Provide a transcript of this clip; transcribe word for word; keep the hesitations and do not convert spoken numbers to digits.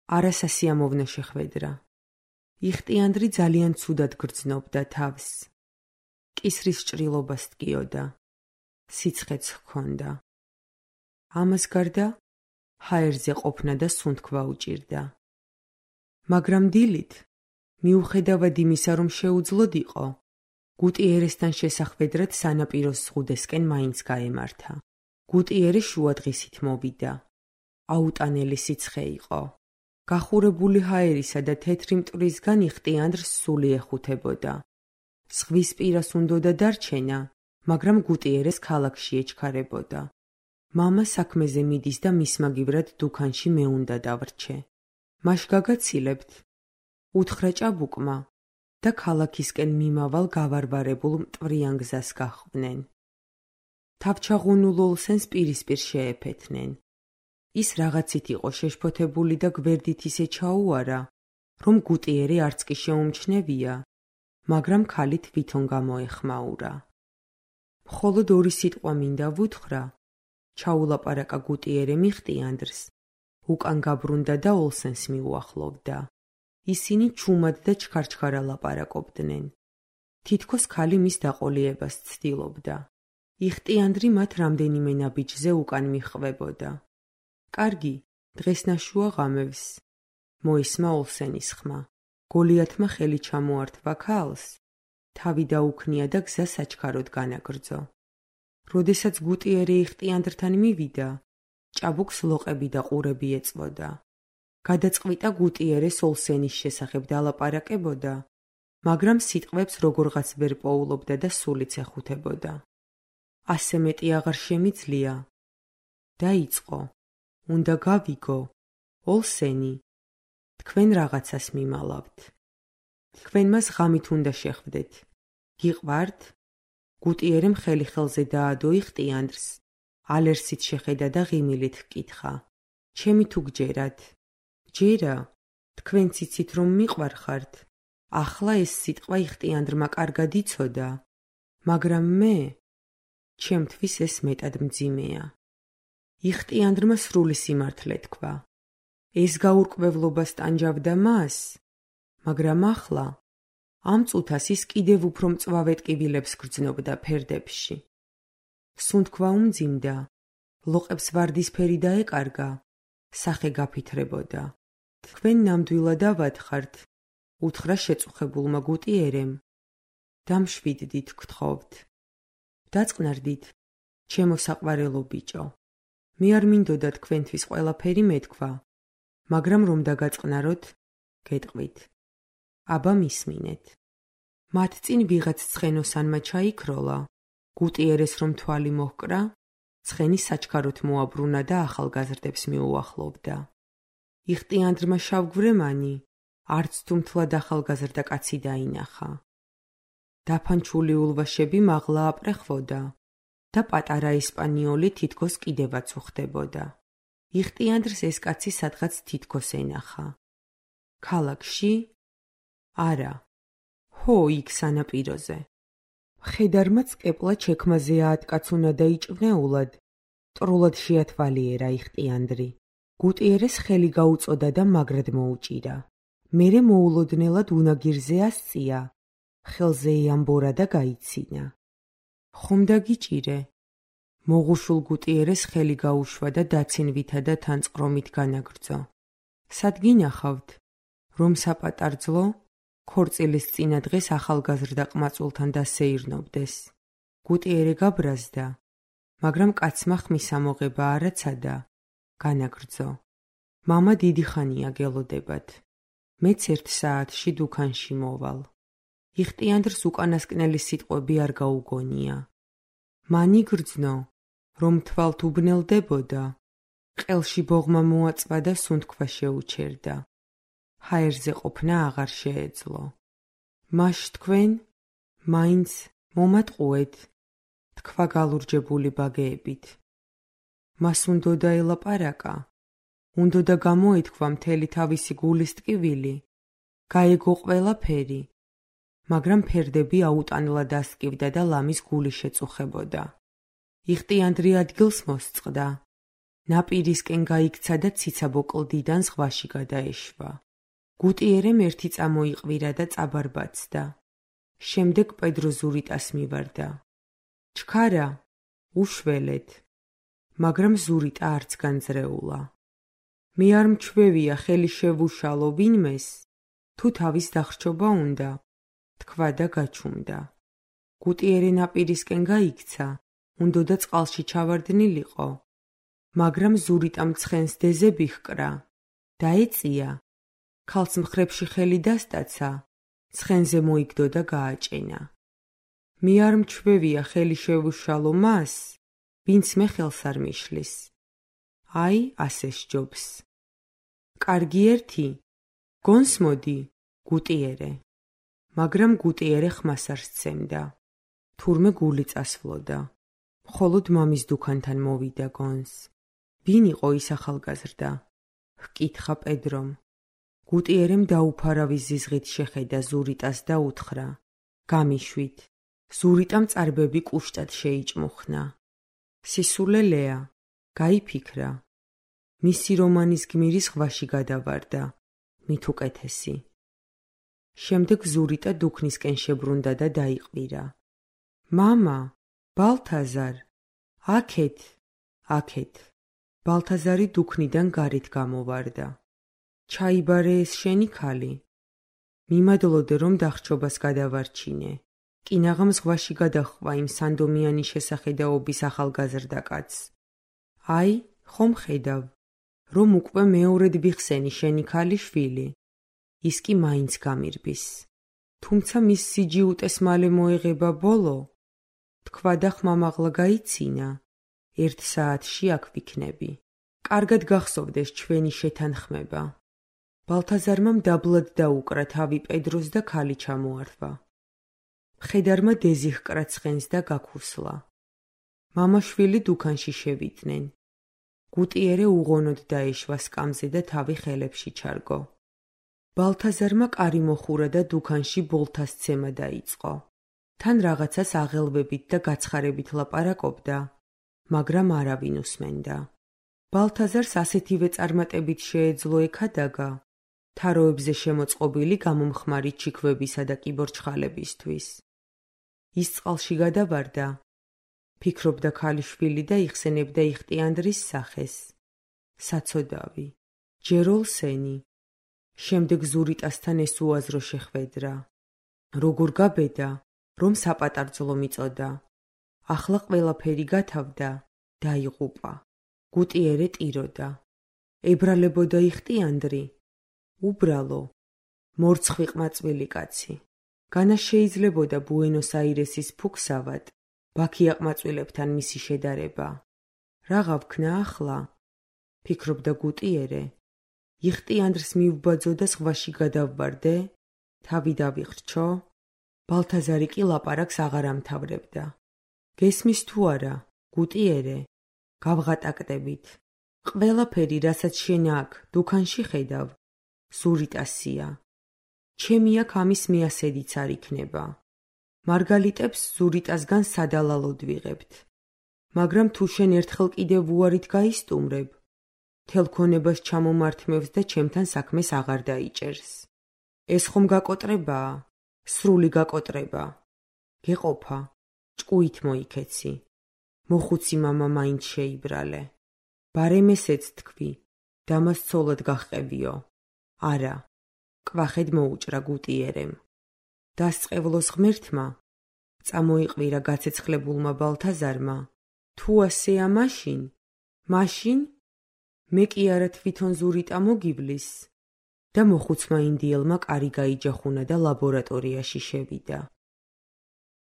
არასასიამოვნო შეხვედრა. იხტიანდრი ძალიან ცუდად გრძნობდა თავს. კისრის ჭრილობას ტკიოდა. სიცხეც ჰქონდა. ამას გარდა ჰაერზე ყოფნა და სუნთქვა უჭირდა. მაგრამ დილით, მიუხედავად იმისა, რომ შეუძლოდ იყო, გუტიერესთან შესახვედრად სანაპიროს ზღუდესკენ მაინც გაემართა. გუტიერე შუადღისით მოვიდა. აუტანელი სიცხე იყო. გახურებული ჰაერისა და თეთრი მტვრისგან იხტიანდრს სული ეხუთებოდა. ზღვის პირას უნდოდა დარჩენა, მაგრამ გუტიერეს ქალაქში ეჩქარებოდა. მამა საქმეზე მიდის და მის მაგივრად დუქანში მე უნდა დავრჩე. მაშ გაგაცილებთ. უთხრა ჭაბუკმა და ქალაქისკენ მიმავალ გავარვარებულ მტვრიან გზას გაჰყვნენ. თავჩაღუნულ ოლსენს პირისპირ შეეფეთნენ. ის რაღაცით იყო შეშფოთებული და გვერდით ისე ჩაუარა, რომ გუტიერე არც კი შეუმჩნევია, მაგრამ ქალი თვითონ გამოეხმაურა. მხოლოდ ორი სიტყვა მინდა ვუთხრა, ჩაულაპარაკა გუტიერემ იხტიანდრს, უკან გაბრუნდა და ოლსენს მიუახლოვდა. ისინი ჩუმად და ჩქარჩქარა ლაპარაკობდნენ. თითქოს ქალი მის დაყოლიებას ცდილობდა. იხტიანდრი მათ რამდენიმე ნაბიჯზე უკან მიჰყვებოდა. კარგი, დღეს ნაშუა ღამევს. მოისმა ოლსენის ხმა. გოლიათმა ხელი ჩამოართვა ქალს. თავი დაუქნია და გზა საჩქაროდ განაგრძო. როდესაც გუტიერე იხტიანდრთან მივიდა, ჭაბუკს ლოყები და ყურები ეწვოდა. გადაწყვიტა გუტიერეს ოლსენის შესახებ დალაპარაკებოდა, მაგრამ სიტყვებს როგორღაც ვერ პოულობდა და სულიც ეხუთებოდა. ასე მეტი აღარ შემიძლია. დაიწყო. უნდა გავიგო, ოლსენი, თქვენ რაღაცას მიმალავთ. თქვენ მას ღამით უნდა შეხვდეთ. გიყვართ? გუტიერემ ხელი ხელზე დაადო იხტიანდრს, ალერსით შეხედა და ღიმილით ჰკითხა. ჩემი თუ გჯერათ? ჯერა, თქვენ ციცით რომ მიყვარხართ. ახლა ეს სიტყვა იხტიანდრმა კარგად იცოდა, მაგრამ მე, ჩემთვის ეს მეტად მძიმეა. იხტიანდრმა სრული სიმართლე თქვა. ეს გაურკვევლობა სტანჯავდა მას, მაგრამ ახლა ამ წუთას ის კიდევ უფრო მწვავე ტკივილებს გრძნობდა ფერდებში. სუნთქვა უმძიმდა, ლოყებს ვარდისფერი დაეკარგა, სახე გაფითრებოდა. თქვენ ნამდვილად ავათხართ, უთხრა შეწუხებულმა გუტიერემ. დამშვიდდით გთხოვთ. დაწყნარდით, ჩემო საყვარელო ბიჭო. მე არ მინდოდა თქვენთვის ყველაფერი მეთქვა, მაგრამ რომ დაგაწყნაროთ, გეტყვით. აბა მისმინეთ. მათ წინ ვიღაც ცხენოსანმა ჩაიქროლა, გუტიერეს რომ თვალი მოჰკრა, ცხენი საჩქაროთ მოაბრუნა და ახალგაზრდებს მიუახლოვდა. იხტიანდრმა შავგვრემანი, არც თუ მთლად ახალგაზრდა კაცი დაინახა. დაფანჩული ულვაშები მაღლა აპრეხვოდა და პატარა ესპანიოლი თითქოს კიდევაც უხდებოდა. იხტიანდრს ეს კაცი სადღაც თითქოს ენახა. ქალაქში? არა. ჰო, იქ სანაპიროზე. მხედარმაც კეპლა ჩექმაზე აატკაცუნა და იჭვნეულად, ტრულად შეათვალიერა იხტიანდრი. გუტიერეს ხელი გაუწოდა და მაგრად მოუჭირა. მერე მოულოდნელად უნაგირზე ასწია, ხელზე ეამბორა და გაიცინა. ხომ დაგიჭირე? მოღუშულ გუტიერეს ხელი გაუშვა და დაცინვითა და თანწყრომით განაგრძო. სად გინახავთ? რომ საპატარძლო, ქორწილის წინა დღეს ახალგაზრდა ყმაწულთან დასეირნობდეს. გუტიერე გაბრაზდა, მაგრამ კაცმა ხმის ამოღება არ აცადა, განაგრძო. მამა დიდი ხანია გელოდებათ. მეც ერთ საათში დუქანში მოვალ. იხტიანდრს უკანასკნელი სიტყვები არ გაუგონია. მან იგრძნო, რომ თვალთ უბნელდებოდა, ყელში ბოღმა მოაწვა და სუნთქვა შეუჩერდა. ჰაერზე ყოფნა აღარ შეეძლო. მაშ თქვენ, მაინც მომატყუეთ, თქვა გალურჯებული ბაგეებით. მას უნდოდა ელაპარაკა, უნდოდა გამოეთქვა მთელი თავისი გულის ტკივილი, გაეგო ყველაფერი, მაგრამ ფერდები აუტანლად ასკივდა და ლამის გული შეწუხებოდა. იხტიანდრი ადგილს მოსწყდა, ნაპირისკენ გაიქცა და ციცაბო კლდიდან ზღვაში გადაეშვა. გუტიერემ ერთი წამოიყვირა და წაბარბაცდა. შემდეგ პედრო ზურიტას მივარდა. ჩქარა, უშველეთ. მაგრამ ზურიტა არც განძრეულა. მე არ მჩვევია ხელი შევუშალო ვინმეს, თუ თავის დახრჩობა უნდა, თქვა და გაჩუმდა. გუტიერე ნაპირისკენ გაიქცა, უნდოდა წყალში ჩავარდნილიყო, მაგრამ ზურიტამ ცხენს დეზები ჰკრა, დაეწია, ქალს მხრებში ხელი დასტაცა, ცხენზე მოიგდო და გააჭენა. მე არ მჩვევია ხელი შევუშალო მას, ვინც მე ხელს არ მიშლის. აი, ასე სჯობს. კარგი ერთი, გონს მოდი, გუტიერე. მაგრამ გუტიერე ხმას არ სცემდა. თურმე გული წასვლოდა. მხოლოდ მამის დუქანთან მოვიდა გონს. ვინ იყო ის ახალგაზრდა? ჰკითხა პედრომ. გუტიერემ დაუფარავის ზიზღით შეხედა ზურიტას და უთხრა. გამიშვით. ზურიტამ წარბები კუშტად შეიჭმუხნა. სისულელეა, გაიფიქრა. მისი რომანის გმირი ზღვაში გადავარდა, მით უკეთესი. შემდეგ ზურიტა დუქნისკენ შებრუნდა და დაიყვირა. მამა, ბალთაზარ, აქეთ, აქეთ. ბალთაზარი დუქნიდან გარეთ გამოვარდა. ჩაიბარე ეს შენი ქალი? მიმადლოდე რომ დახრჩობას გადავარჩინე. კინაღამ ზღვაში გადაჰყვა იმ სანდომიანი შესახედაობის ახალგაზრდა კაცს. აი, ხომ ხედავ, რომ უკვე მეორედ ვიხსენი შენი ქალი შვილი. ის კი მაინც გამირბის. თუმცა მის სიჯიუტეს მალე მოეღება ბოლო. თქვა და ხმამაღლა გაიცინა. ერთ საათში აქ ვიქნები. კარგად გახსოვდეს ჩვენი შეთანხმება. ბალთაზარმა მდაბლად დაუკრა თავი პედროს და ქალი ჩამოართვა. მხედარმა დეზი ჰკრა ცხენს და გაქუსლა. მამა-შვილი დუქანში შევიდნენ. გუტიერე უღონოდ დაეშვა სკამზე და თავი ხელებში ჩარგო. ბალთაზარმა კარი მოხურა და დუქანში ბოლთას ცემა დაიწყო. თან რაღაცას აღელვებით და გაცხარებით ლაპარაკობდა, მაგრამ არავინ უსმენდა. ბალთაზარს ასეთივე წარმატებით შეეძლო ექადაგა, თაროებზე შემოწყობილი გამომხმარი ჩიქვებისა და კიბორჩხალებისთვის. ის წყალში გადავარდა, ფიქრობდა ქალიშვილი და იხსენებდა იხტიანდრის სახეს. საცოდავი, ჯეროლსენი. შემდეგ ზურიტასთან ეს უაზრო შეხვედრა. როგორ გაბედა, რომ საპატარძლო მიწოდა. ახლა ყველაფერი გათავდა, დაიღუპა. გუტიერე ტიროდა. ებრალებოდა იხტიანდრი. უბრალო, მორცხვი ყმაწვილი კაცი. განა შეიძლებოდა ბუენოს-აირესის ფუქსავად, ბაქია ყმაწვილებთან მისი შედარება. რაღა ვქნა ახლა? ფიქრობდა გუტიერე. იხტიანდრს მივბაძო და ზღვაში გადავვარდე? თავი დავიხრჩო? ბალთაზარი კი ლაპარაკს აღარ ამთავრებდა. გესმის თუ არა, გუტიერე? გავღატაკდებით. ყველაფერი, რასაც შენ აქ, დუქანში ხედავ, ზურიტასია. ჩემი აქ ამის მიასედიც არ იქნება. მარგალიტებს ზურიტასგან სადალალოდ ვიღებთ. მაგრამ თუ შენ ერთხელ კიდევ უარით გაისტუმრებ, თელ ქონებას ჩამომართმევს და ჩემთან საქმეს აღარ დაიჭერს. ეს ხომ გაკოტრებაა? სრული გაკოტრება. გეყოფა, ჭკუით მოიქეცი. მოხუცი მამა მაინც შეიბრალე. ბარემ ესეც თქვი, დამას ცოლად გახყევიო. არა, კვახედ მოუჭრა გუტიერემ. დასწყევლოს ღმერთმა, წამოიყვირა გაცეცხლებულმა ბალთაზარმა, თუ ასეა მაშინ, მაშინ, მე კი არა თვითონ ზურიტა მოგივლის და მოხუცმა ინდიელმა კარი გაიჯახუნა და ლაბორატორიაში შევიდა.